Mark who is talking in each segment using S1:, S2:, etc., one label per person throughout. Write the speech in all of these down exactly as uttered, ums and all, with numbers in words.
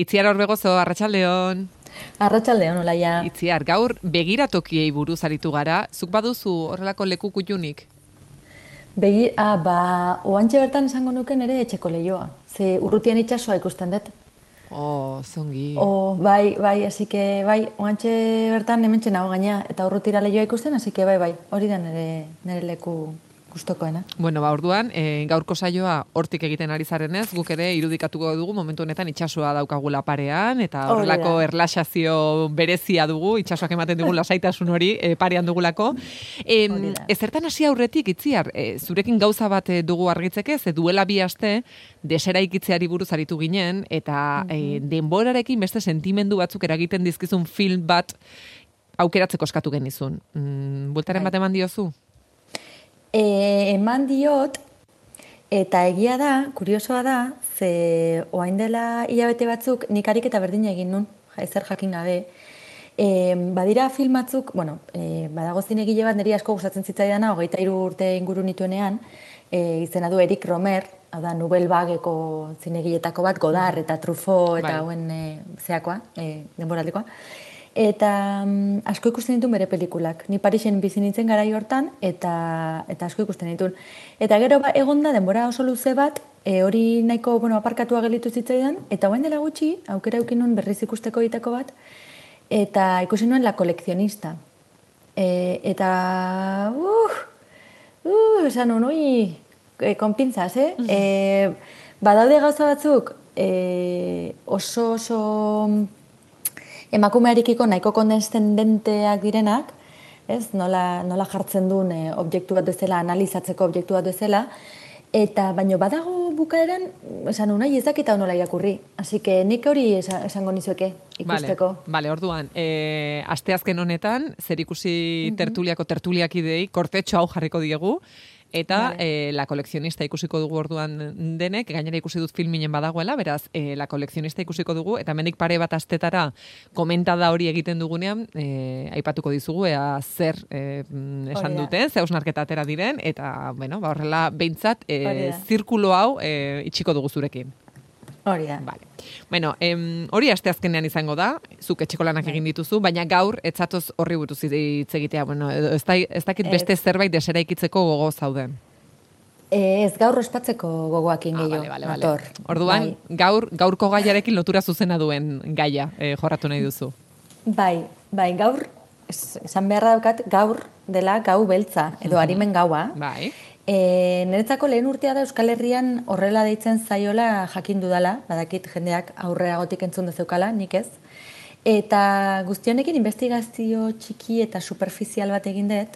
S1: Itziar Orbegozo, arratsaldeon.
S2: Arratsaldeon, Olaia.
S1: Itziar, gaur begiratokiei buruz aritu gara, zuk baduzu horrelako leku kuttunik?
S2: Begi, ah, ba, oantxe bertan esango nuken ere etxeko leioa. Ze urrutian itsasoa ikusten dut.
S1: Oh, zongi.
S2: Oh, bai, bai, así que bai, oantxe bertan hementxe nago gaina eta urrutira leioa ikusten, así que bai, bai, hori da nire, nire leku gustokoena.
S1: Bueno, ba, orduan, e, gaurko saioa hortik egiten ari zarenez, guk ere irudikatuko dugu momentu honetan itsasoa daukagula parean, eta horrelako erlaxazio berezia dugu, itsasoak ematen dugu lasaitasun hori e, parean dugulako. E, ezertan hasi aurretik, Itziar, e, zurekin gauza bat e, dugu argitzeke, ze duela bi aste, deseraikitzeari buruz aritu ginen, eta e, denborarekin beste sentimendu batzuk eragiten dizkizun film bat aukeratzeko eskatu genizun. Mm, Bultaren bat eman diozu?
S2: E, eman diot, eta egia da, kuriosoa da, ze oain dela hilabete batzuk nik ariketa berdina egin nun, ezer jakin gabe. E, badira film batzuk, bueno, e, badago zinegile bat niri asko gustatzen zitzaidana, hogeita hiru urte inguru nituenean, e, izena du Eric Romer, hau da, Nouvelle Vagueko zinegiletako bat, Godard eta Truffaut eta hauen e, zeakoa, e, denboraldekoa. Eta um, asko ikusten dituen bere pelikulak. Ni Parisen bizi nintzen garai hortan, eta, eta asko ikusten dituen. Eta gero ba, egonda denbora oso luze bat, e, hori nahiko bueno, aparkatua gelitu zitzaidan, eta hoen dela gutxi, aukera eukin nuen berriz ikusteko egiteko bat, eta ikusi nuen La Coleccionista. E, eta, uh, uh, esan nuen, ui, e, konpintzaz, eh? Mm-hmm. E, badaude gauza batzuk, e, oso oso... emakumearekiko nahiko kondescendenteak direnak, ez? Nola, nola jartzen duen e, objektu bat bezala, analizatzeko objektu bat bezala, eta baino badago bukaeran, esan unai ez dakita nola irakurri. Así que nik hori esango nizueke ikusteko.
S1: Vale, vale, orduan, e, asteazken honetan, zer ikusi mm-hmm. tertuliako tertuliak idei, kortetxo hau jarriko diegu, eta vale. e, La Coleccionista ikusiko dugu orduan denek, gainera ikusi dut filminen badagoela, beraz, e, La Coleccionista ikusiko dugu, eta mendik pare bat astetara komentada hori egiten dugunean, e, aipatuko dizugu, ea zer e, esan duten, ze hausnarketa atera diren, eta, bueno, ba, horrela, behintzat, e, zirkulo hau e, itxiko dugu zurekin.
S2: Hori da.
S1: Vale. Bueno, em, hori asteazkenean izango da, zuk etxeko lanak egin dituzu, baina gaur etzatoz horri buruz hitz egitea, bueno, ez, da, ez dakit beste zerbait deseraikitzeko gogo zauden.
S2: Ez gaur ospatzeko gogoakin
S1: ah,
S2: gehiago,
S1: vale, vale, vale. Orduan, bai. gaur, gaurko gaiarekin lotura zuzena duen gaia eh, jorratu nahi duzu.
S2: Bai, bai, gaur, esan beharra daukat, gaur dela gau beltza, edo harimen gaua.
S1: Bai.
S2: E, niretzako lehen urtea da Euskal Herrian horrela deitzen zaiola jakin dudala, badakit jendeak aurreagotik entzun dezeukala, nik ez. Eta guztionekin investigazio txiki eta superficial bat egin dut,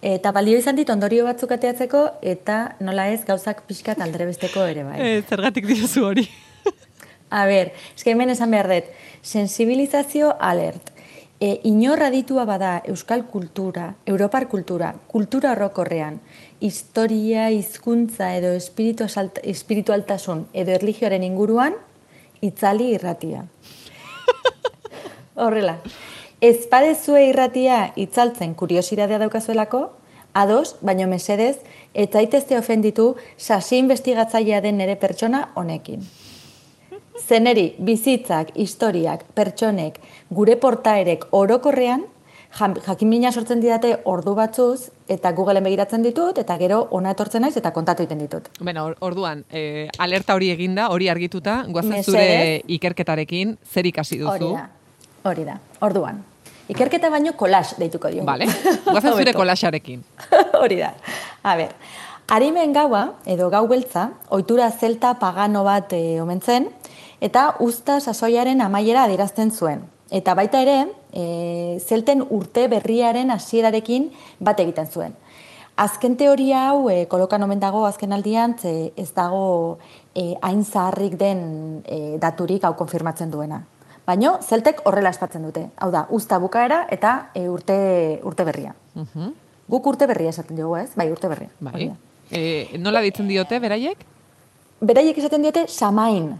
S2: eta balio izan dit ondorio batzuk ateatzeko, eta nola ez gauzak pixkat aldrebesteko ere bai.
S1: E, zergatik diozu hori?
S2: A ber, eske hemen esan behar dut, sensibilizazio alert. E, inorra ditua bada euskal kultura, europar kultura, kultura horrokorrean, historia, hizkuntza edo espiritualtasun edo erlijioaren inguruan, itzali irratia. Horrela, ez padezue irratia itzaltzen kuriosidadea daukazuelako, ados, baino mesedez, ez zaitezte ofenditu sasi investigatzailea den nere pertsona honekin. Zeneri, bizitzak, historiak, pertsonek, gure portaerek orokorrean, jakimina sortzen didate ordu batzuz, eta Googleen begiratzen ditut, eta gero ona etortzen naiz, eta kontatu egiten ditut.
S1: Bueno, orduan, eh, alerta hori eginda, hori argituta, guazen zure ikerketarekin, zer ikasi duzu?
S2: Hori da, hori da, orduan. Ikerketa baino kolax deituko diogu.
S1: Vale, guazen zure kolaxarekin.
S2: Hori da, a ber, harimen gaua, edo gau beltza, ohitura zelta pagano bat e, omen zen, eta usta sasoiaren amaiera adierazten zuen. Eta baita ere, e, zelten urte berriaren hasierarekin bat egiten zuen. Azken teoria hau, e, kolokan omen dago azken aldian, ze ez dago e, hain zaharrik den e, daturik hau konfirmatzen duena. Baina, zeltek horrela espatzen dute. Hau da, usta bukaera eta e, urte, urte berria. Uh-huh. Guk urte berria esaten dugu, ez? Bai, urte berria.
S1: Bai. E, nola ditzen diote, beraiek?
S2: Beraiek esaten diote samain.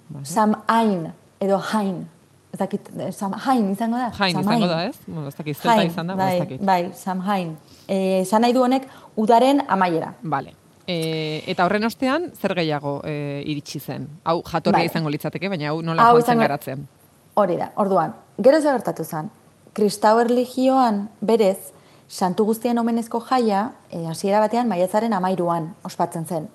S2: Bai. Samain, edo hain. Ez dakit, Samhain izango da?
S1: Hain izango da, ez? Ez dakit, zelta izan da,
S2: bai,
S1: ez dakit.
S2: Bai, Samhain. Esan nahi du honek udaren amaiera.
S1: Vale. E, eta horren ostean, zer gehiago e, iritsi zen? Hau jatorria
S2: Bai.
S1: izango litzateke, baina hau nola
S2: Hau
S1: joan zen
S2: izango-
S1: garatzen?
S2: Hori da, orduan, gero zer gertatu zen. Kristau erlijioan berez, santu guztien omenezko jaia, e, hasiera batean maiatzaren amairuan ospatzen zen.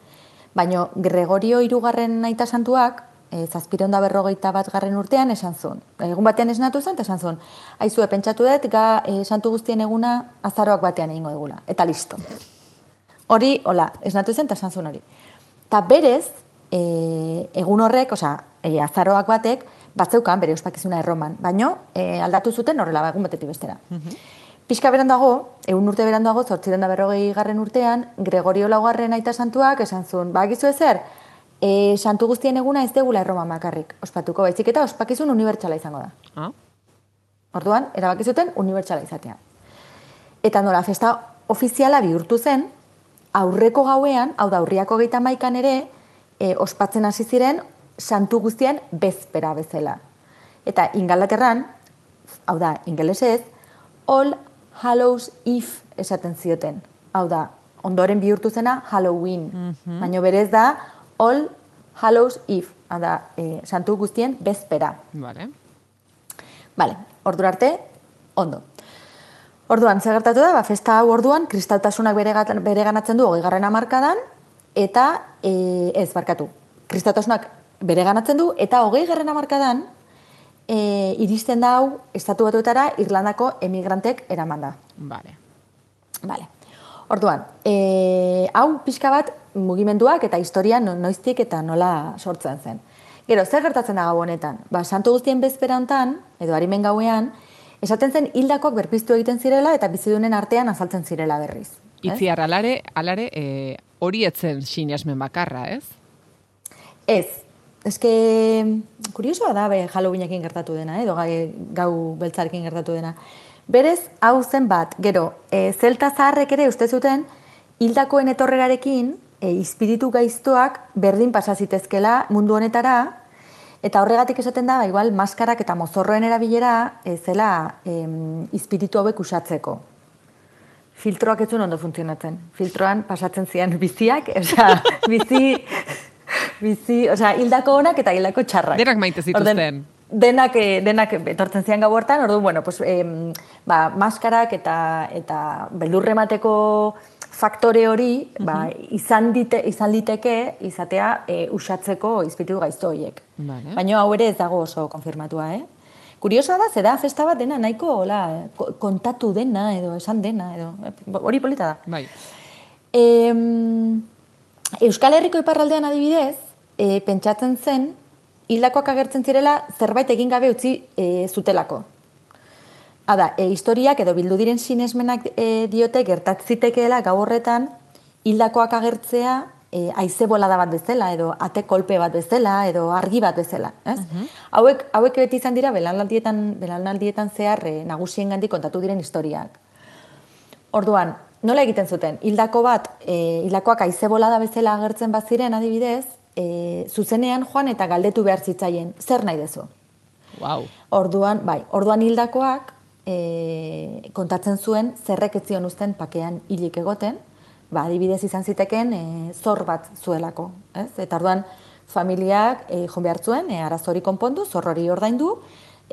S2: Baina Gregorio hirugarren aita santuak, e, zazpireun da berrogeita bat garren urtean esan zuen. Egun batean esnatu zen, eta esan zuen. Aizue, pentsatu dut, ga e, santu guztien eguna azaroak batean egingo egula. Eta listo. Hori, hola, esnatu zen, eta esan zuen hori. Eta berez, e, egun horrek, osea, e, azaroak batek, batzeukan bere ospakizuna erroman, baino e, aldatu zuten horrela egun batetik bestera. Pixka berandago, egun urte berandago, zortziren da berrogei garren urtean, Gregorio laugarren aita santuak esan zuen, ba, gizu ezer, e, santu guztien eguna ez degula erroman bakarrik ospatuko, baizik eta ospakizun unibertsala izango da.
S1: Ah?
S2: Orduan, erabaki zuten unibertsala izatea. Eta nola, festa ofiziala bihurtu zen, aurreko gauean, hau da, urriako geita maikan ere, e, ospatzen hasi ziren, santu guztien bezpera bezala. Eta Ingalaterran, hau da, ingelesez, All Hallows Eve esaten zioten. Hau da, ondoren bihurtu zena Halloween. Mm-hmm. Baina berez da All Hallows Eve. Hau da, e, santu guztien bezpera.
S1: Vale.
S2: Vale, ordura arte, ondo. Orduan, zer gertatu da, ba, festa hau orduan, kristaltasunak bere, bere ganatzen du hogei garren hamarkadan, eta e, ez, barkatu, kristaltasunak bere ganatzen du, eta hogei garren hamarkadan, e, iristen da hau, estatu batuetara, Irlandako emigrantek eraman da.
S1: Vale.
S2: Vale. Orduan, e, hau pixka bat mugimenduak eta historia no, noiztik eta nola sortzen zen. Gero, zer gertatzen da gau honetan? Ba, santu guztien bezpera hontan, edo harimen gauean, esaten zen hildakoak berpiztu egiten zirela eta bizidunen artean azaltzen zirela berriz.
S1: Itziar, alare, alare e, hori etzen sinesmen bakarra, ez?
S2: Ez. Eske, kuriosoa da, be, Halloweenekin gertatu dena, edo gau beltzarekin gertatu dena. Berez, hau zen bat, gero, e, zelta zaharrek ere uste zuten, hildakoen etorrerarekin, e, espiritu gaiztoak berdin pasa zitezkela mundu honetara, eta horregatik esaten da, ba, igual, maskarak eta mozorroen erabilera e, zela e, espiritu hauek usatzeko. Filtroak ez zuen ondo funtzionatzen. Filtroan pasatzen zian biziak, osea, bizi, bizi, osea, hildako onak eta hildako txarrak.
S1: Denak maite zituzten.
S2: Orden, denak, denak etortzen zian gau hortan, orduan, bueno, pues, em, ba, maskarak eta, eta beldurremateko faktore hori, uh-huh. ba, izan, dite, izan liteke izatea e, usatzeko izpiritu gaizto horiek.
S1: Vale. Baina
S2: hau ere ez dago oso konfirmatua, eh? Kuriosoa da, zeda festa bat dena nahiko hola, kontatu dena edo esan dena, edo hori polita da.
S1: Bai.
S2: E, Euskal Herriko iparraldean adibidez, e, pentsatzen zen, hildakoak agertzen zirela zerbait egin gabe utzi e, zutelako. Hada, e, historiak edo bildu diren sinesmenak e, diote gertatzitekeela gau horretan hildakoak agertzea e, haize bolada bat bezala, edo ate kolpe bat bezala, edo argi bat bezala. Ez? Uh-huh. hauek, hauek beti izan dira belanaldietan, belanaldietan zehar e, nagusien gandik kontatu diren historiak. Orduan, nola egiten zuten? Hildako bat, e, hildakoak haize bolada bezala agertzen baziren adibidez, e, zuzenean joan eta galdetu behar zitzaien, zer nahi dezu?
S1: Wow.
S2: Orduan, bai, orduan hildakoak e, kontatzen zuen zerrek ez zion uzten pakean hilik egoten, ba, adibidez izan ziteken e, zor bat zuelako, ez? Eta orduan familiak e, joan behar zuen, e, arazori konpondu, zor hori ordaindu,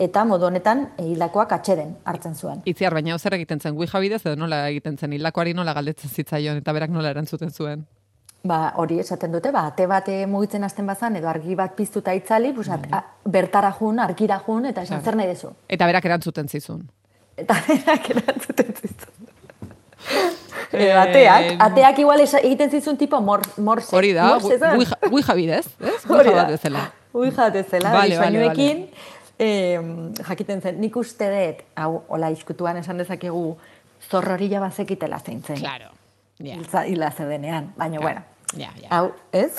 S2: eta modu honetan e, hildakoak atxeden hartzen zuen.
S1: Itziar, baina zer egiten zen, Ouija bidez edo nola egiten zen, hildakoari nola galdetzen zitzaion eta berak nola erantzuten zuen?
S2: Ba, hori esaten dute, ba, ate bat mugitzen hasten bazan, edo argi bat piztuta itzali, pues, at, a, bertara jun, argira jun, eta esan zer nahi dezu.
S1: Eta berak erantzuten zizun.
S2: Eta berak erantzuten zizun. E, ateak, ateak igual egiten zizun tipo mor, morse.
S1: Hori da, Ouija bidez, ez? Ouija bat bezala.
S2: Ouija bat bezala,
S1: vale,
S2: disainuekin, vale, vale. jakiten zen, nik uste dut, hau, hola, iskutuan esan dezakegu, zorrorila bazekitela zein zen.
S1: Claro. Yeah.
S2: Hila zedenean, baina, yeah. bueno,
S1: yeah, yeah.
S2: hau, ez?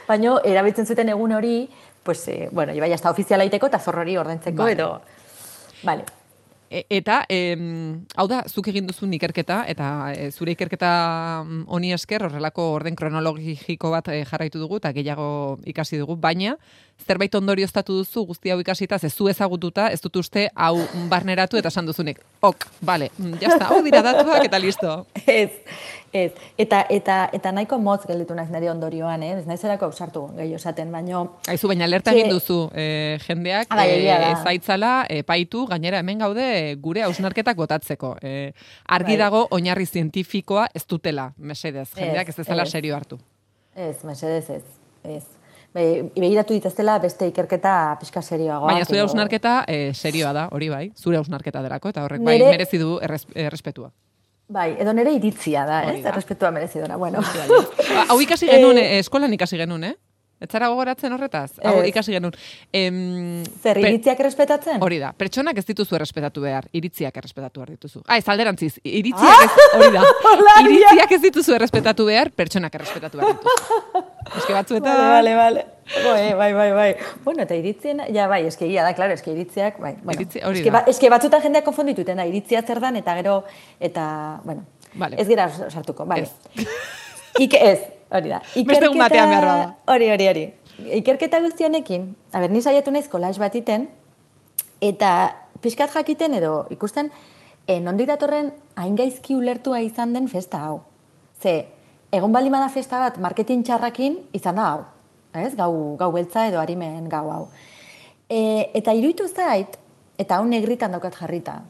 S2: baina, erabiltzen zuten egun hori, pues, eh, bueno, ibai, hasta ofiziala iteko eta zorrori ordentzeko, vale. edo, vale.
S1: E, eta, em, hau da, zuk egin duzun ikerketa, eta e, zure ikerketa honi esker, horrelako orden kronologiko bat e, jarraitu dugu, eta gehiago ikasi dugu, baina, zerbait ondorioztatu duzu guzti hau ikasita, ez zu ezagututa, ez dut uste hau barneratu eta esan duzunik. Ok, bale, jazta, hau dira datuak eta listo.
S2: Ez, ez. Eta, eta, eta nahiko motz gelditu naiz nire ondorioan, eh? Ez naiz erako ausartu gehiago esaten, baino...
S1: Aizu, baina alerta egin duzu, eh, jendeak
S2: ah,
S1: eh, ezaitzala, epaitu, gainera hemen gaude eh, gure hausnarketak botatzeko. Eh, argi bai. Dago, oinarri zientifikoa ez dutela, mesedez, jendeak ez ezala serio hartu.
S2: Ez, mesedez ez, ez. Begiratu ditaztela beste ikerketa pixka serioagoa.
S1: Baina zure hausnarketa eh, serioa da, hori bai, zure hausnarketa delako, eta horrek nere... bai merezi du erres, errespetua.
S2: Bai, edo nere iritzia da, ez? Errespetua merezi duna, bueno.
S1: Hau ikasi genuen, eh, eskolan ikasi genuen, eh? Ez zara gogoratzen horretaz? Hau ikasi genuen. Em,
S2: Zer, iritziak errespetatzen?
S1: Hori da, pertsonak ez dituzu errespetatu behar, iritziak errespetatu behar dituzu. Ah, ez alderantziz, iritziak ez, hori da. Iritziak ez dituzu errespetatu behar, pertsonak errespetatu behar dituzu. Eske batzuetan...
S2: Vale, vale, vale. Bai, bai, bai. Bueno, eta iritzien, ja, bai, eske egia da, klaro, eske iritziak, bai. Bueno, Iritzi, hori eske, da. Ba, eske batzuetan jendeak konfondituten da, iritzia zer dan, eta gero, eta, bueno, vale. Ez gira sartuko, vale. Ez. Ike ez, hori da.
S1: Beste un batean behar bada.
S2: Hori, hori, hori. Ikerketa guztionekin, a ber, ni saiatu naiz kolaz bat iten, eta pixkat jakiten edo ikusten, e, nondik datorren hain gaizki ulertua izan den festa hau. Ze, egon bali bada festa bat marketing txarrakin izan da hau. Ez? Gau, gau beltza edo harimen gau hau. E, eta iruditu zait, eta hau negritan daukat jarrita,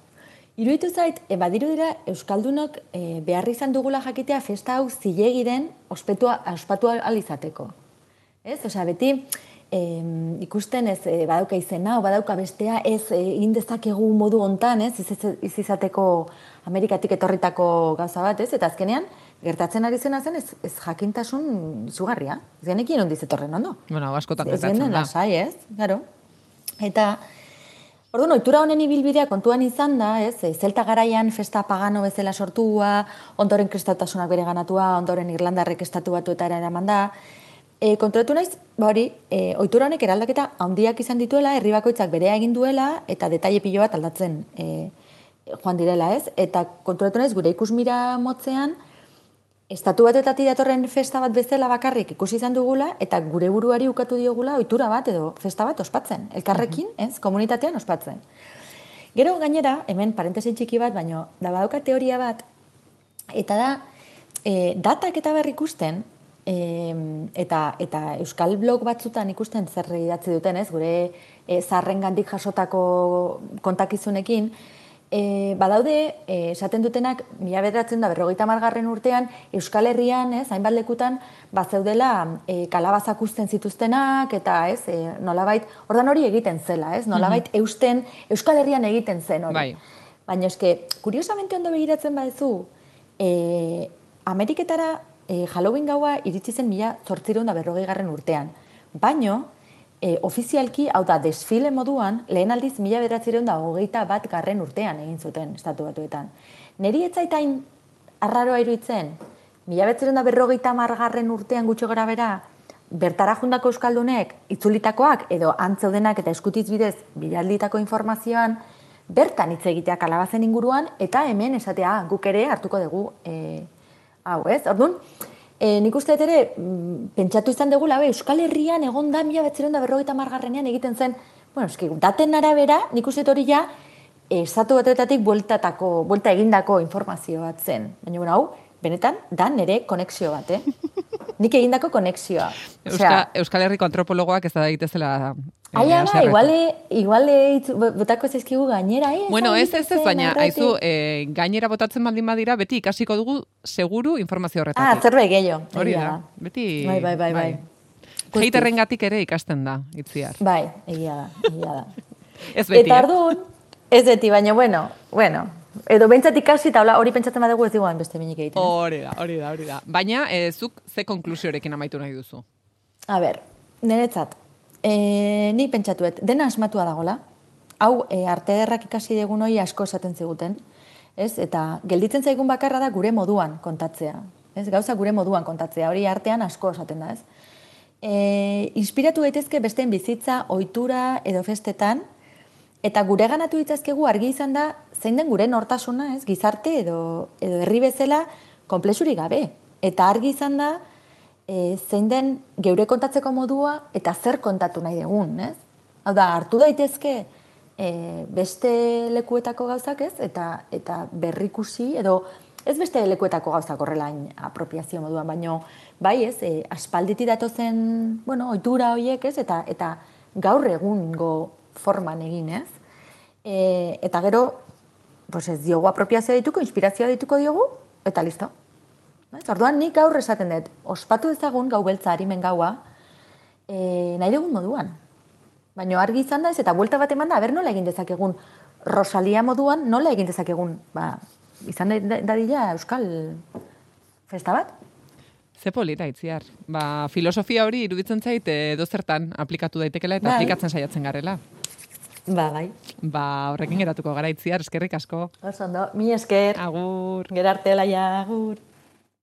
S2: iruditu zait, e, badiru dira Euskaldunok e, behar izan dugula jakitea festa hau zilegi den ospetua, ospatu alizateko. Ez? Osea, beti eh, ikusten ez eh, badauka izena, o badauka bestea, ez egin dezakegu modu hontan, ez? Ez izateko Amerikatik etorritako gauza bat, ez? Eta azkenean, gertatzen ari zena zen, ez, ez jakintasun izugarria. Ez genekin ondiz etorren, ondo?
S1: Bueno, askotan gertatzen da.
S2: Ez lasai, ez? Garo. Eta, orduan, ohitura honen ibilbidea kontuan izan da, ez? Zelta garaian festa pagano bezala sortua, ondoren kristautasunak bere ganatua, ondoren Irlandarrek estatu batuetara eraman da. E, konturatu naiz, ba hori, e, ohitura honek eraldaketa handiak izan dituela, herri bakoitzak berea egin duela, eta detaile pilo bat aldatzen e, joan direla, ez? Eta konturatu naiz, gure ikusmira motzean, estatu batetatik datorren festa bat bezala bakarrik ikusi izan dugula, eta gure buruari ukatu diogula ohitura bat edo festa bat ospatzen. Elkarrekin, ez? Komunitatean ospatzen. Gero gainera, hemen parentesi txiki bat, baino, da badauka teoria bat, eta da, e, datak eta berri ikusten, E, eta, eta Euskal blog batzutan ikusten zer idatzi duten, ez, gure e, zaharrengandik jasotako kontakizunekin, e, badaude, e, esaten dutenak, mila bederatzen da berrogeita hamargarren urtean, Euskal Herrian, ez, hainbat lekutan, bazeudela e, kalabazak uzten zituztenak, eta ez, e, nolabait, ordan hori egiten zela, ez, nolabait mm-hmm. eusten, Euskal Herrian egiten zen hori. Bai. Baina eske, kuriosamente ondo begiratzen badezu, e, Ameriketara E, Halloween gaua iritsi zen mila zortziehun eta berrogei garren urtean. Baino, e, ofizialki, hau da, desfile moduan, lehen aldiz mila bederatziehun eta hogeita bat garren urtean egin zuten estatu batuetan. Neri ez zaitain arraroa iruditzen, mila bederatziehun eta berrogeita hamar garren urtean gutxo gara bera, bertara jundako euskaldunek itzulitakoak edo antzeudenak eta eskutiz bidez bilalditako informazioan, bertan hitz egitea kalabazen inguruan, eta hemen esatea guk ere hartuko dugu e, hau, ez? Orduan, e, nik uste ere, pentsatu izan dugula, be, Euskal Herrian egon da mila bederatziehun eta berrogeita hamar garrenean egiten zen, bueno, eski, daten arabera, nik uste hori ja, estatu batuetatik bueltatako, buelta egindako informazio bat zen. Baina, bueno, hau, benetan, da nere konexio bat, eh? Nik egindako konexioa.
S1: Euska, Euskal Herriko antropologoak ez da daitezela...
S2: Ai, ama, iguale, iguale botako zaizkigu gainera, eh?
S1: Bueno, ez, ez, ez, baina, haizu, eh, gainera botatzen baldin badira, beti ikasiko dugu seguru informazio horretatik.
S2: Ah, zerbait gehiago.
S1: Hori da, beti...
S2: Bai, bai, bai, bai.
S1: Heiterrengatik ere ikasten da, itziar.
S2: Bai, egia da, egia da.
S1: Ez beti,
S2: eta ardun, ez beti, baina, bueno, bueno, edo bentsat ikasi eta hori pentsatzen badugu ez diguan beste minik egiten.
S1: Hori da, hori da, hori da. Baina, eh, zuk ze konklusiorekin amaitu nahi duzu?
S2: A ber, niretzat, e, ni pentsatuet, dena asmatua dagola, hau e, arte ederrak ikasi degun hori asko esaten ziguten, ez? Eta gelditzen zaigun bakarra da gure moduan kontatzea, ez? Gauza gure moduan kontatzea, hori artean asko esaten da, ez? E, inspiratu daitezke besteen bizitza, ohitura edo festetan, eta gure ganatu ditzazkegu argi izan da zein den gure nortasuna, ez? Gizarte edo, edo herri bezala konplexurik gabe. Eta argi izan da e, zein den geure kontatzeko modua eta zer kontatu nahi dugun, ez? Hau da, hartu daitezke e, beste lekuetako gauzak, ez? Eta, eta berrikusi, edo ez beste lekuetako gauzak horrelain apropiazio moduan, baino bai, ez? E, aspalditi datozen, bueno, ohitura horiek, ez? Eta, eta gaur egungo forman egin, ez? E, eta gero, pues ez diogu apropiazioa dituko, inspirazioa dituko diogu, eta listo. Orduan nik gaur esaten dut, ospatu ezagun gau beltza harimen gaua, e, nahi dugun moduan. Baina argi izan da ez, eta buelta bat eman da, aber nola egin dezakegun, Rosalia moduan nola egin dezakegun, ba, izan dadila euskal festa bat.
S1: Ze polita, Itziar. Ba, filosofia hori iruditzen zait edo zertan aplikatu daitekela eta bai. Aplikatzen saiatzen garela.
S2: Ba, bai.
S1: Ba, horrekin geratuko gara, Itziar, eskerrik asko.
S2: Oso ondo, mi esker.
S1: Agur.
S2: Gerarte laia, agur.